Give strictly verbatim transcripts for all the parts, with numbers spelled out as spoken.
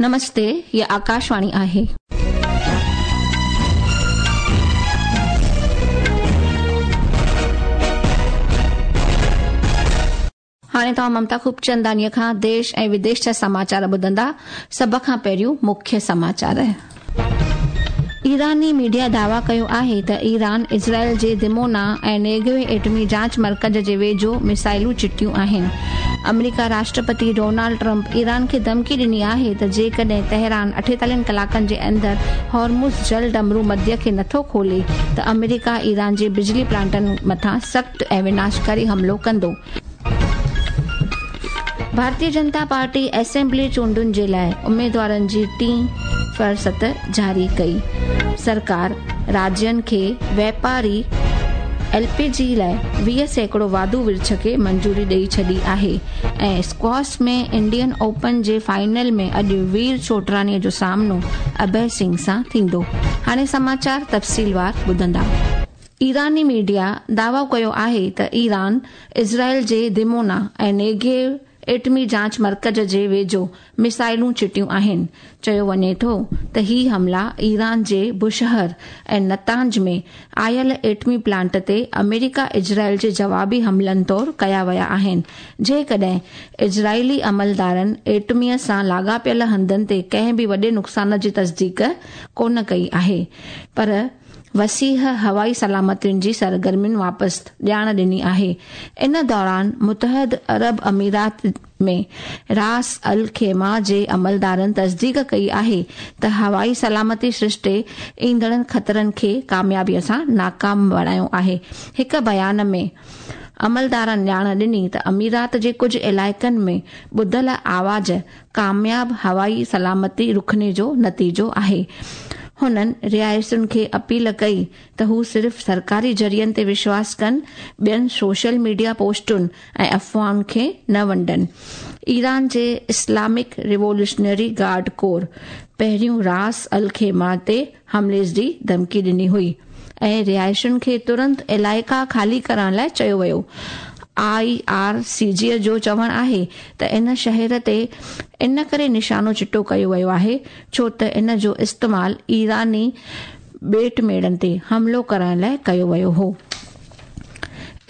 नमस्ते, ये आकाशवाणी आहे। हाणे तव्हां ममता खूबचंदानीअ खां देश ऐं विदेश जा समाचार ॿुधंदा। सभ खां पहिरियों मुख्य समाचार। ईरानी मीडिया दावा कयो आहे त ईरान इज़राइल जे दिमोना ऐं नेगेव एटमी जांच मर्कज़ जे वेझो मिसाइलूं चिटियूं आहिनि। अमेरिका राष्ट्रपति डोनाल्ड ट्रंप ईरान खे धमकी ॾिनी आहे त जेकॾहिं तेहरान अठेतालीहनि कलाकनि जे अंदरि हॉर्मुज़ जल डमरू मध्य खे नथो खोले त अमेरिका ईरान जे बिजली प्लांटनि मथां सख़्तु ऐं विनाशकारी हमलो कंदो। भारतीय जनता पार्टी असेंबली चूंडुनि जे लाइ उमेदवारनि जी टीं फहरिस्त जारी कई। सरकार राज्यनि खे व्यापारी एल पी जी लाइ वीह सैकड़ो वाधू विर्छ खे मंजूरी ॾेई छॾी आहे। ऐं स्क्वॉश में इंडियन ओपन जे फाइनल में अॼु वीर चोटरानीअ जो सामनो अभय सिंह सां थींदो। हाणे समाचार तफ़सीलवार ॿुधंदा। ईरानी मीडिया दावा कयो आहे त ईरान इज़राइल जे दिमोना ऐं नेगेव एटमी जांच मर्कज़ जे वेझो मिसाइलूं चिटियूं आहिनि। चयो वञे थो त ही हमला ईरान जे बुशहर ऐं नतांज में आयल एटमी प्लांट ते अमेरिका इज़राइल जे जवाबी हमलनि तौर कया विया आहिनि। जेकॾहिं इज़राइली अमलदारनि एटमीअ सां लाॻापियल हंधनि ते कंहिं बि वॾे नुक़सान जी तस्दीक कोन कई आहे, पर वसीह हवाई सलामतियुनि जी सरगर्मियुनि वापसि ॼाण ॾिनी आहे। इन दौरान मुतहद अरब अमीरात में रास अल खेमा जे अमलदारनि तस्दीक कई आहे त हवाई सलामती सृष्टे ईंदड़ ख़तरनि खे कामयाबीअ सां नाकाम बणायो आहे। हिकु बयान में अमलदारनि ॼाण ॾिनी त अमीरात जे कुझु इलाइक़नि में ॿुधल आवाज़ कामयाब हवाई सलामती रुखने जो नतीजो आहे। हुननि रिहाइशुनि खे अपील कई त हू सिर्फ़ सरकारी ज़रियनि ते विश्वास कनि, ॿियनि सोशल मीडिया पोस्टुनि ऐं अफ़वाहुनि खे न वंडनि। ईरान जे इस्लामिक रिवोल्यूशनरी गार्ड कोर पहिरियों रास अल खेमा ते हमले जी धमकी ॾिनी हुई ऐं रिहाइशुनि खे तुरंत इलाइक़ा ख़ाली करण लाइ चयो वियो। I R C जी जो चवणु आहे त इन शहर ते इन करे निशानो चिटो कयो वियो आहे छो त इन जो इस्तेमालु ईरानी ॿेट मेड़नि ते हमलो करण लाइ कयो वियो हो।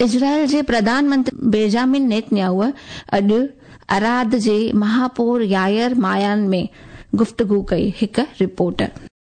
इज़राइल जे प्रधानमंत्री बेंजामिन नेतन्याहू अॼु अराद जे महापौर यायर मायान में गुफ्तगू कई। हिकु रिपोर्ट।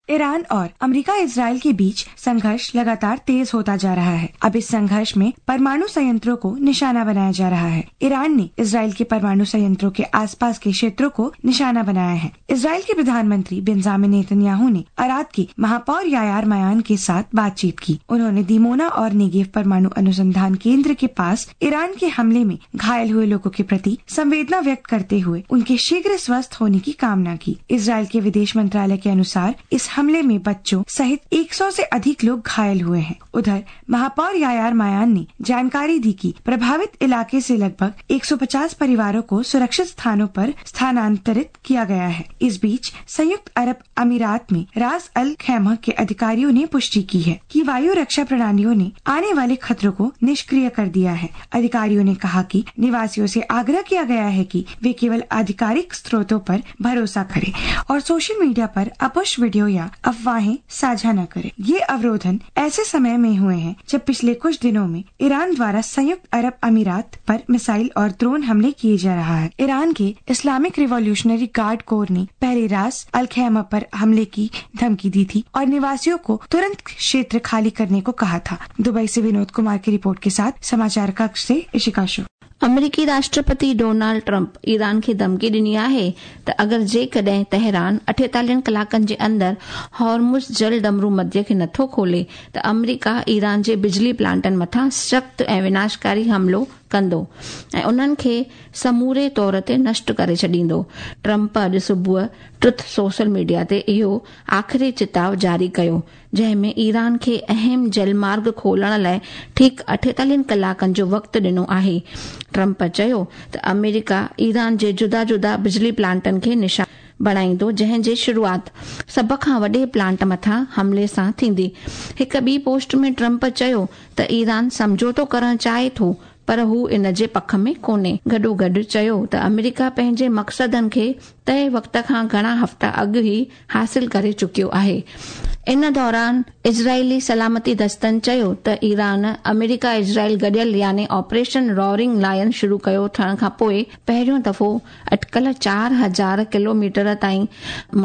ईरान और अमेरिका इजराइल के बीच संघर्ष लगातार तेज होता जा रहा है। अब इस संघर्ष में परमाणु संयंत्रों को निशाना बनाया जा रहा है। ईरान ने इजराइल के परमाणु संयंत्रों के आसपास के क्षेत्रों को निशाना बनाया है। इजराइल के प्रधानमंत्री बेंजामिन नेतन्याहू ने अराद के महापौर यायर मायान के साथ बातचीत की। उन्होंने दिमोना और नेगेव परमाणु अनुसंधान केंद्र के पास ईरान के हमले में घायल हुए लोगों के प्रति संवेदना व्यक्त करते हुए उनके शीघ्र स्वस्थ होने की कामना की। इजराइल के विदेश मंत्रालय के अनुसार इस हमले में बच्चों सहित एक सौ से अधिक लोग घायल हुए हैं। उधर महापौर यायर मायान ने जानकारी दी कि प्रभावित इलाके से लगभग एक सौ पचास परिवारों को सुरक्षित स्थानों पर स्थानांतरित किया गया है। इस बीच संयुक्त अरब अमीरात में रास अल खैमा के अधिकारियों ने पुष्टि की है कि वायु रक्षा प्रणालियों ने आने वाले खतरों को निष्क्रिय कर दिया है। अधिकारियों ने कहा कि निवासियों से आग्रह किया गया है कि वे केवल आधिकारिक स्रोतों पर भरोसा करें और सोशल मीडिया पर अपुष्ट वीडियो या अफवाहें साझा न करें। ये अवरोधन ऐसे समय में हुए हैं जब पिछले कुछ दिनों में ईरान द्वारा संयुक्त अरब अमीरात पर मिसाइल और ड्रोन हमले किए जा रहा है। ईरान के इस्लामिक रिवॉल्यूशनरी गार्ड कोर ने पहले रास अल खैमा पर हमले की धमकी दी थी और निवासियों को तुरंत क्षेत्र खाली करने को कहा था। दुबई से विनोद कुमार की रिपोर्ट के साथ समाचार कक्ष से इशिका शो। अमेरिकी राष्ट्रपति डोनाल्ड ट्रंप ईरान खे धमकी ॾिनी आहे त अगरि जेकॾहिं तेहरान अठेतालीहनि कलाकनि जे अंदरि हॉर्मुज़ जल डमरू मध्य खे नथो खोले त अमेरिका ईरान जे बिजली प्लांटनि मथां सख़्तु ऐं विनाशकारी हमलो कंदो ऐं उन्हनि खे समूरे तौर ते नष्ट करे छॾींदो। ट्रंप अॼु सुबुह ट्रुथ सोशल मीडिया ते इहो आख़िरी चिताव जारी कयो, जंहिं में ईरान खे अहम जलमार्ग खोलण लाइ ठीकु अठेतालीहनि कलाकनि जो वक़्तु ॾिनो आहे। ट्रंप चयो त अमेरिका ईरान जे जुदा जुदा बिजली प्लांटनि खे निशान बणाईंदो, जंहिं जी शुरूआत सभ खां वॾे प्लांट मथां हमले सां थींदी। हिकु ॿी पोस्ट में ट्रंप चयो त ईरान सम्झौतो करणु चाहे थो, पर हू इन जे पख में कोन्हे। गॾोगॾु चयो त अमेरिका पंहिंजे मक़सदनि खे तय वक़्त खां घणा हफ़्ता अॻु ई हासिल करे चुकियो आहे। इन दौरान इज़राइली सलामती दस्तनि चयो त ईरान अमेरिका इज़राइल गॾियल यानी ऑपरेशन रोरिंग लायन शुरू कयो थियण खां पोइ पहिरियों दफ़ो अटकल चार हज़ार किलोमीटर ताईं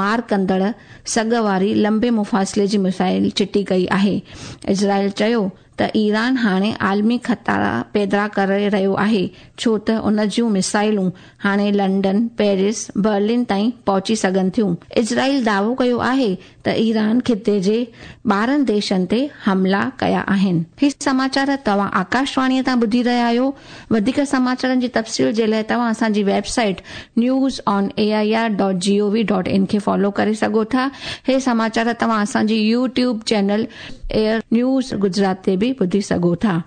मार कंदड़ सघ वारी लंबे मुफ़ासिले जी मिसाइल चिटी कई आहे। इज़राइल चयो त ईरान हाणे आलमी ख़तरा पैदा करे रहियो आहे, छो त उन जूं मिसाइलूं हाणे लंडन, पेरिस, बर्लिन ताईं पहुची सघनि थियूं। इज़राइल दावो कयो आहे त ईरान ख़िते जे ॿारहं देशनि ते हमला कया आहिनि। ही समाचार तव्हां आकाशवाणीअ तां ॿुधी रहिया आहियो। वधीक समाचारनि जी तफ़सील जे लाइ तव्हां असांजी website news on A I R dot G O V dot in खे फॉलो करे सघो था। हे समाचार तव्हां असांजी YouTube channel AIR news Gujarat ते बि ॿुधी सघो था।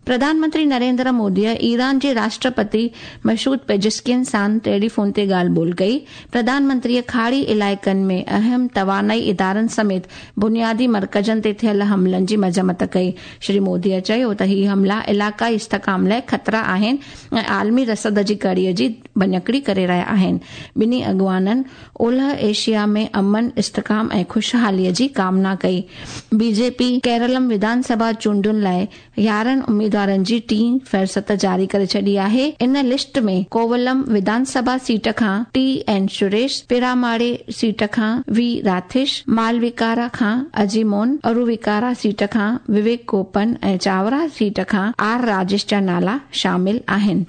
प्रधानमंत्री नरेंद्र मोदीअ ईरान जे राष्ट्रपति मसूद पेजिस्कियन सां टेलीफोन ते ॻाल्हि ॿोल कई। प्रधानमंत्रीअ खाड़ी इलाइक़नि में अहम तवानाई इदारनि समेत बुनियादी मर्कज़नि ते थियल हमलनि जी मज़म्मत कई। श्री मोदीअ चयो त ही हमला इलाइक़ाई इस्तिहकाम लाइ ख़तरा आहिनि ऐं आलमी रसद जी कड़ीअ जी भञकड़ी करे रहिया आहिनि। ॿिन्ही अॻुवाननि ओलह एशिया में अमन, इस्तिहकाम ऐं ख़ुशहालीअ जी कामना कई। बीजेपी केरलम विधानसभा चूंडुनि लाइ यारहं उम्मीदवार जी टीं फ़हरिस्त जारी करे छॾी आहे। इन लिस्ट में कोवलम विधानसभा सीट खां टी एन सुरेश, पिरामाड़े सीट खां we राथिश, मालविकारा खां अजीमोन, अरुविकारा सीट खां विवेक गोपन ऐं चावरा सीट खां are Rajesh जा नाला शामिल आहिनि।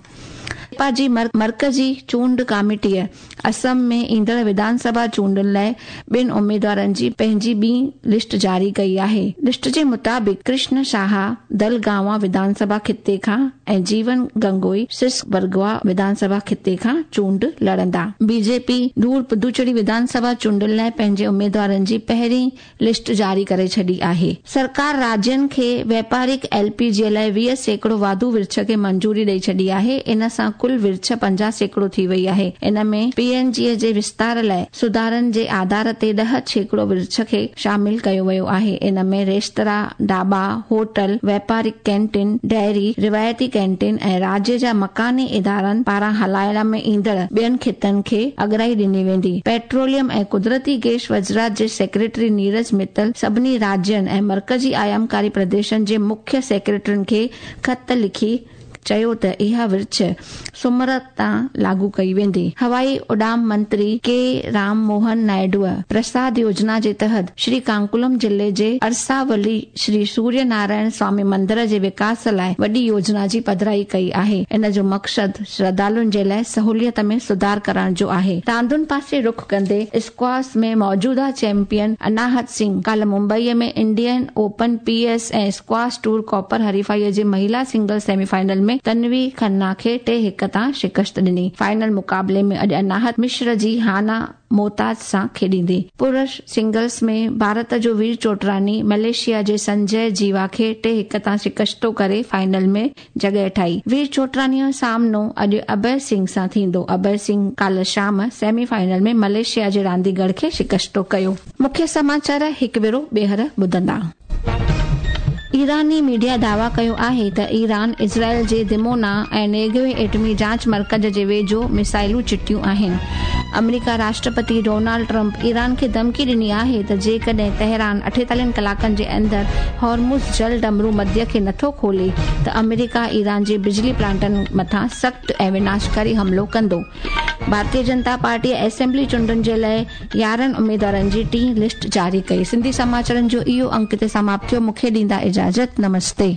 जी मर्कज़ी चूंड कमेटीअ असम में ईंदड़ विधानसभा चूंडुनि लाइ ॿिनि उम्मीदवारनि जी पंहिंजी ॿी लिस्ट जारी कई आहे। लिस्ट जे मुताबिक़ कृष्ण शाह दलगांवा विधानसभा ख़िते खां ऐं जीवन गंगोई सिसबरगवा विधानसभा ख़िते खां चूंड लड़ंदा। बीजेपी दूर पुदुचेरी विधानसभा चूंडुनि लाइ पंहिंजे उम्मीदवारनि जी पहिरीं लिस्ट जारी करे छॾी आहे। सरकार राज्यनि खे व्यापारिक एलपीजी लाइ वीह सैकड़ो वाधू विर्छ खे मंजूरी ॾेई छॾी आहे। इन सां कुल विर्छ पंजाह सैकड़ो थी वई आहे। इन में पीएनजी जे विस्तार लाइ सुधारनि जे आधार ते ॾह सैकड़ो विर्छ खे शामिल कयो वियो आहे। इन में रेस्तरा, ढाबा, होटल, व्यापारिक कैंटीन, डेयरी, रिवायती कैंटीन ऐं राज्य जा मकानी इदारनि पारां हलाइण में ईंदड़ ॿियनि ख़ितनि खे अॻिराई ॾिनी वेंदी। पेट्रोलियम ऐं कुदरती गैस वज़ारत जे सेक्रेटरी नीरज मित्तल सभिनी राज्यनि ऐं मर्कज़ी आयामकारी प्रदेशनि जे मुख्य सेक्रेटरियुनि खे ख़त लिखी चयो त इहा विर्छ सुमर तां लागू कई वेंदी। हवाई उॾाम मंत्री के राम मोहन नायडूअ प्रसाद योजना जे तहत श्री कांकुलम ज़िले जे अरसावली श्री सूर्य नारायण स्वामी मंदिर जे विकास लाइ वॾी योजना जी पधराई कई आहे। इन जो मक़सदु श्रद्धालुनि जे लाइ सहूलियत में सुधार करण जो आहे। रांदुनि पासे रुख कंदे स्क्वाश में मौजूदा चैंपियन अनाहत सिंह काल्ह मुंबईअ में इंडियन ओपन पीएस ऐं स्क्वाश टूर कॉपर हरीफाईअ जे महिला सिंगल सेमीफाइनल में तन्वी खन्ना खे टे हिक तां शिकस्त ॾिनी। फाइनल मुक़ाबले में अॼु अनाहत मिश्र जी हाना मोहताज सां खेॾींदी। पुरुष सिंगल्स में भारत जो वीर चोटरानी मलेशिया जे संजय जीवा खे टे हिक तां शिकस्तो करे फाइनल में जॻह ठाही। वीर चोटरानीअ जो सामनो अॼु अभय सिंह सां थींदो। अभय सिंह काल्ह शाम सेमीफाइनल में मलेशिया जे रांदीगर खे शिकस्तो कयो। मुख्य समाचार हिकु भेरो ॿीहर ॿुधंदा। ईरानी मीडिया दावा कयो आहे त ईरान इज़राइल जे दिमोना ऐं नेगवे एटमी जांच मर्कज़ जे वेझो मिसाइलूं चिटियूं आहिनि। अमेरिका राष्ट्रपति डोनाल्ड ट्रंप ईरान खे धमकी ॾिनी आहे त जेकॾहिं तेहरान अठेतालीहनि कलाकनि जे अंदरि हॉर्मुज़ जल डमरू मध्य खे नथो खोले त अमेरिका ईरान जे बिजली प्लांटनि मथां सख़्तु ऐं विनाशकारी हमलो कंदो। भारतीय जनता पार्टी असेंबली चूंडुनि जे लाइ यारहं उम्मीदवारनि जी टीं लिस्ट जारी कई। सिंधी समाचारनि जो इहो अंक हिते समाप्त थियो। मूंखे ॾींदा इजाज़त। नमस्ते।